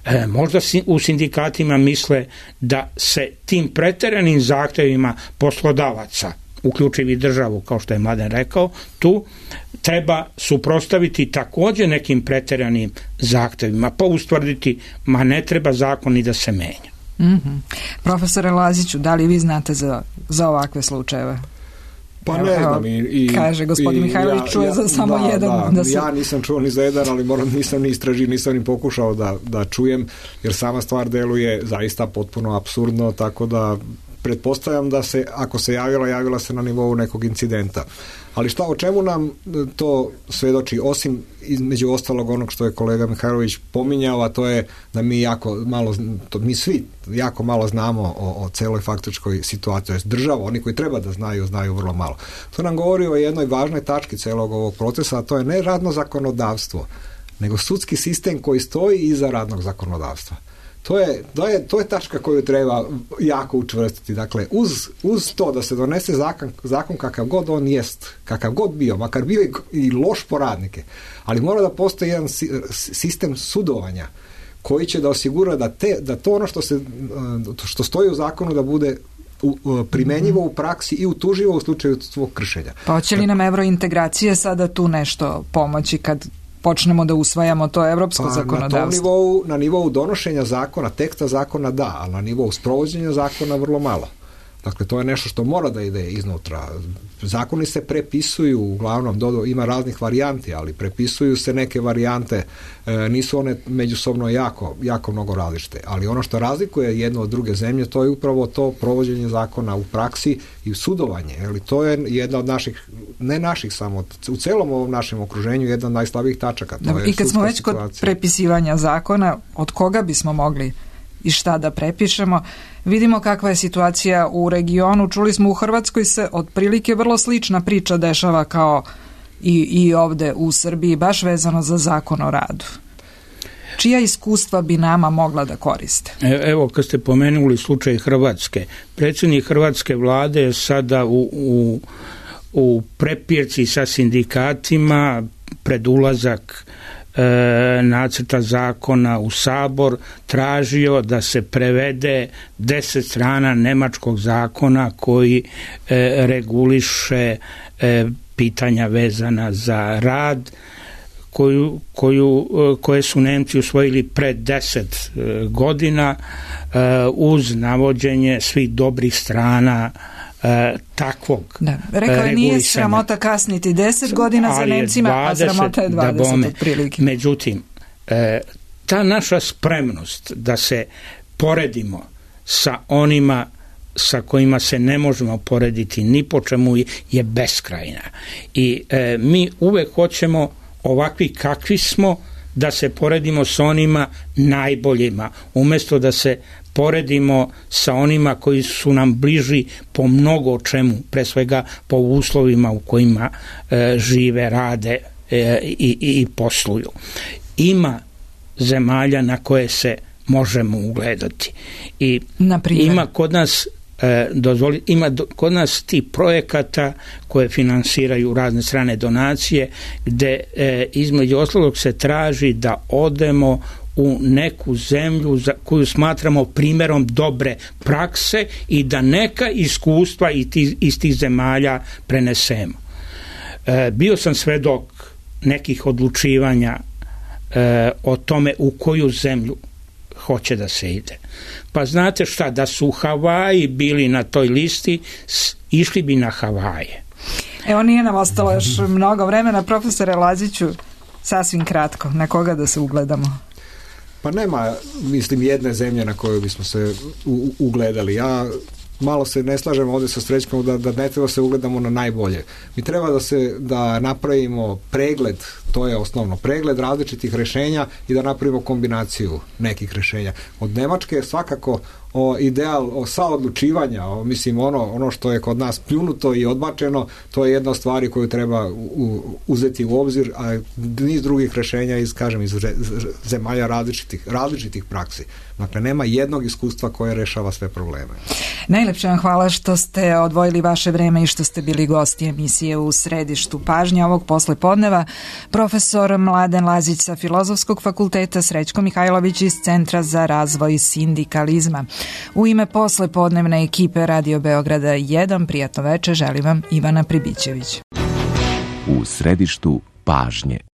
E, možda u sindikatima misle da se tim preteranim zahtjevima poslodavaca, uključivi državu, kao što je Mladen rekao, tu treba suprotstaviti također nekim preteranim zahtjevima, pa ustvrditi, ma ne treba zakon ni da se menja. Mm-hmm. Profesore Laziću, da li vi znate za, za ovakve slučajeve? Pa evo, ne znam. I, i, kaže gospodin Mihajlović, ja, čuje ja, za samo da, jedan. Da, da se... Ja nisam čuo ni za jedan, ali moram, nisam ni istražio, nisam ni pokušao da, da čujem, jer sama stvar deluje zaista potpuno apsurdno, tako da pretpostavljam da se, ako se javila, javila se na nivou nekog incidenta. Ali šta, o čemu nam to svedoči, osim između ostalog onog što je kolega Mihajlović pominjao, a to je da mi jako malo, to mi svi jako malo znamo o, o celoj faktičkoj situaciji. Država, oni koji treba da znaju, znaju vrlo malo. To nam govori o jednoj važnoj tački celog ovog procesa, a to je ne radno zakonodavstvo, nego sudski sistem koji stoji iza radnog zakonodavstva. To je, to je, to je tačka koju treba jako učvrstiti. Dakle, uz, uz to da se donese zakon, zakon kakav god on jest, kakav god bio, makar bio i loš po radnike, ali mora da postoji jedan sistem sudovanja koji će da osigura da, te, da to ono što, se, što stoji u zakonu da bude primenjivo u praksi i utuživo u slučaju svog kršenja. Pa hoće li nam evrointegracije sada tu nešto pomoći kad počnemo da usvajamo to evropsko pa, zakonodavstvo? Na, tom nivou, na nivou donošenja zakona, teksta zakona da, ali na nivou sprovođenja zakona vrlo malo. Dakle, to je nešto što mora da ide iznutra. Zakoni se prepisuju, uglavnom do, ima raznih varijanti, ali prepisuju se neke varijante, e, nisu one međusobno jako, jako mnogo različite. Ali ono što razlikuje jedno od druge zemlje, to je upravo to provođenje zakona u praksi i sudovanje. Jeli, to je jedna od naših, ne naših samo, u celom ovom našem okruženju jedna od najslabijih tačaka. To da, je i kad smo već situacija. Kod prepisivanja zakona, od koga bismo mogli i šta da prepišemo, vidimo kakva je situacija u regionu. Čuli smo, u Hrvatskoj se otprilike vrlo slična priča dešava kao i, i ovde u Srbiji, baš vezano za zakon o radu. Čija iskustva bi nama mogla da koriste? Evo, kad ste pomenuli slučaj Hrvatske, predsjednik Hrvatske vlade je sada u, u, u prepirci sa sindikatima pred ulazak E, nacrta zakona u Sabor tražio da se prevede deset strana nemačkog zakona koji e, reguliše e, pitanja vezana za rad koju, koju, koje su Nemci usvojili pred deset e, godina e, uz navođenje svih dobrih strana E, takvog da. Rekao je, nije sramota kasniti deset godina za Nemcima, dvadeset, a sramota je dvadeset otprilike. Međutim, e, ta naša spremnost da se poredimo sa onima sa kojima se ne možemo porediti ni po čemu je beskrajna. I e, mi uvek hoćemo ovakvi kakvi smo da se poredimo sa onima najboljima, umjesto da se poredimo sa onima koji su nam bliži po mnogo čemu, pre svega po uslovima u kojima e, žive, rade e, i, i posluju. Ima zemalja na koje se možemo ugledati. I ima kod nas e, dozvoli, ima do, kod nas ti projekata koje finansiraju razne strane donacije, gde e, između ostalog se traži da odemo u neku zemlju za koju smatramo primjerom dobre prakse i da neka iskustva iz tih zemalja prenesemo. E, bio sam svedok nekih odlučivanja e, o tome u koju zemlju hoće da se ide. Pa znate šta, da su Havaji bili na toj listi, išli bi na Havaje. Evo, nije nam ostalo još mnogo vremena. Profesore Laziću, sasvim kratko, na koga da se ugledamo? Pa nema, mislim, jedne zemlje na koju bismo se u, ugledali. Ja malo se ne slažem ovdje sa Srećkom da, da ne treba se ugledamo na najbolje. Mi treba da se da napravimo pregled, to je osnovno, pregled različitih rešenja i da napravimo kombinaciju nekih rešenja. Od Nemačke je svakako o ideal o saodlučivanja, o, mislim ono, ono što je kod nas pljunuto i odbačeno, to je jedna od stvari koju treba u, uzeti u obzir, a niz drugih rešenja iz, kažem, iz zemalja različitih, različitih praksi. Dakle, nema jednog iskustva koje rešava sve probleme. Najlepše vam hvala što ste odvojili vaše vreme i što ste bili gosti emisije U središtu pažnje ovog poslepodneva. Profesor Mladen Lazić sa Filozofskog fakulteta, Srećko Mihajlović iz Centra za razvoj sindikalizma. U ime poslepodnevne ekipe Radio Beograda jedan, prijatno veče želim vam Ivana Pribićević. U središtu pažnje.